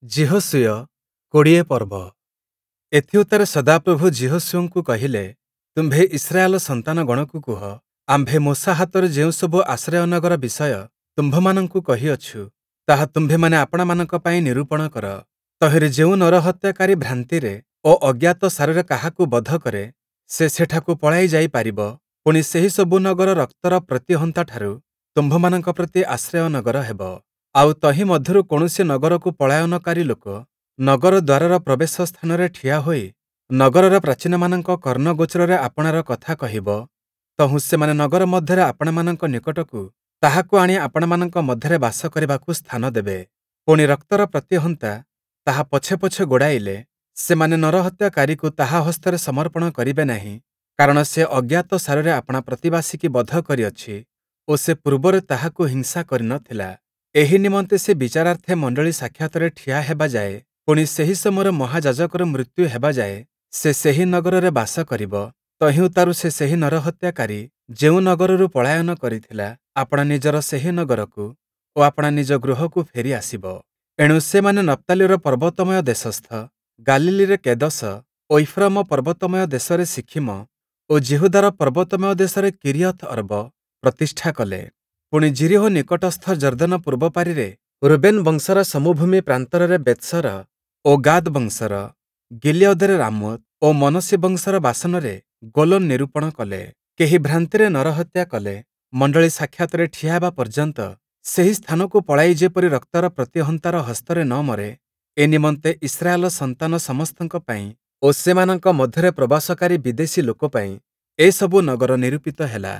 ଯିହୋଶୂୟ, ୨୦ ପର୍ବ। ଏଥିଉତ୍ତାରେ ସଦାପ୍ରଭୁ ଯିହୋଶୂୟଙ୍କୁ କହିଲେ, ତୁମ୍ଭେ ଇସ୍ରାଏଲ ସନ୍ତାନଗଣକୁ କୁହ, ଆମ୍ଭେ ମୋଶା ହାତରୁ ଯେଉଁସବୁ ଆଶ୍ରୟ ନଗର ବିଷୟ ତୁମ୍ଭମାନଙ୍କୁ କହିଅଛୁ, ତାହା ତୁମ୍ଭେମାନେ ଆପଣାମାନଙ୍କ ପାଇଁ ନିରୂପଣ କର। ତହିଁରେ ଯେଉଁ ନରହତ୍ୟାକାରୀ ଭ୍ରାନ୍ତିରେ ଓ ଅଜ୍ଞାତସାରରେ କାହାକୁ ବଧ କରେ, ସେ ସେଠାକୁ ପଳାଇ ଯାଇପାରିବ। ପୁଣି, ସେହିସବୁ ନଗର ରକ୍ତର ପ୍ରତିହନ୍ତାଠାରୁ ତୁମ୍ଭମାନଙ୍କ ପ୍ରତି ଆଶ୍ରୟ ନଗର ହେବ। ଆଉ, ତହିଁ ମଧ୍ୟରୁ କୌଣସି ନଗରକୁ ପଳାୟନକାରୀ ଲୋକ ନଗର ଦ୍ୱାରର ପ୍ରବେଶ ସ୍ଥାନରେ ଠିଆ ହୋଇ ନଗରର ପ୍ରାଚୀନମାନଙ୍କ କର୍ଣ୍ଣଗୋଚରରେ ଆପଣାର କଥା କହିବ, ତହୁଁ ସେମାନେ ନଗର ମଧ୍ୟରେ ଆପଣାମାନଙ୍କ ନିକଟକୁ ତାହାକୁ ଆଣି ଆପଣାମାନଙ୍କ ମଧ୍ୟରେ ବାସ କରିବାକୁ ସ୍ଥାନ ଦେବେ। ପୁଣି, ରକ୍ତର ପ୍ରତିହନ୍ତା ତାହା ପଛେ ପଛେ ଗୋଡ଼ାଇଲେ, ସେମାନେ ନରହତ୍ୟାକାରୀକୁ ତାହା ହସ୍ତରେ ସମର୍ପଣ କରିବେ ନାହିଁ, କାରଣ ସେ ଅଜ୍ଞାତସାରରେ ଆପଣା ପ୍ରତିବାସୀକି ବଧ କରିଅଛି ଓ ସେ ପୂର୍ବରେ ତାହାକୁ ହିଂସା କରି ନ ଥିଲା। ଏହି ନିମନ୍ତେ ସେ ବିଚାରାର୍ଥେ ମଣ୍ଡଳୀ ସାକ୍ଷାତରେ ଠିଆ ହେବା ଯାଏ, ପୁଣି ସେହି ସମୟରେ ମହାଯାଜକର ମୃତ୍ୟୁ ହେବା ଯାଏ ସେ ସେହି ନଗରରେ ବାସ କରିବ। ତହିଁ ଉତ୍ତାରୁ ସେ ସେହି ନରହତ୍ୟାକାରୀ ଯେଉଁ ନଗରରୁ ପଳାୟନ କରିଥିଲା, ଆପଣା ନିଜର ସେହି ନଗରକୁ ଓ ଆପଣା ନିଜ ଗୃହକୁ ଫେରି ଆସିବ। ଏଣୁ ସେମାନେ ନପ୍ତାଲିର ପର୍ବତମୟ ଦେଶସ୍ଥ ଗାଲିଲୀରେ କେଦଶ ଓ ଇଫ୍ରୟିମ ପର୍ବତମୟ ଦେଶରେ ଶିଖିମ ଓ ଯିହୁଦାର ପର୍ବତମୟ ଦେଶରେ କିରିୟଥ୍ ଅର୍ବ ପ୍ରତିଷ୍ଠା କଲେ। ପୁଣି ଯିରୀହୋ ନିକଟସ୍ଥ ଯର୍ଦ୍ଦନ ପୂର୍ବ ପାରିରେ ରୁବେନ୍ ବଂଶର ସମଭୂମି ପ୍ରାନ୍ତରରେ ବେତ୍ସର ଓ ଗାଦ୍ ବଂଶର ଗିଲିୟଦରେ ରାମୋତ୍ ଓ ମନସୀ ବଂଶର ବାସନରେ ଗୋଲନ ନିରୂପଣ କଲେ। କେହି ଭ୍ରାନ୍ତିରେ ନରହତ୍ୟା କଲେ, ମଣ୍ଡଳୀ ସାକ୍ଷାତରେ ଠିଆ ହେବା ପର୍ଯ୍ୟନ୍ତ ସେହି ସ୍ଥାନକୁ ପଳାଇ ଯେପରି ରକ୍ତର ପ୍ରତିହନ୍ତାର ହସ୍ତରେ ନ ମରେ, ଏ ନିମନ୍ତେ ଇସ୍ରାଏଲ ସନ୍ତାନ ସମସ୍ତଙ୍କ ପାଇଁ ଓ ସେମାନଙ୍କ ମଧ୍ୟରେ ପ୍ରବାସକାରୀ ବିଦେଶୀ ଲୋକ ପାଇଁ ଏସବୁ ନଗର ନିରୂପିତ ହେଲା।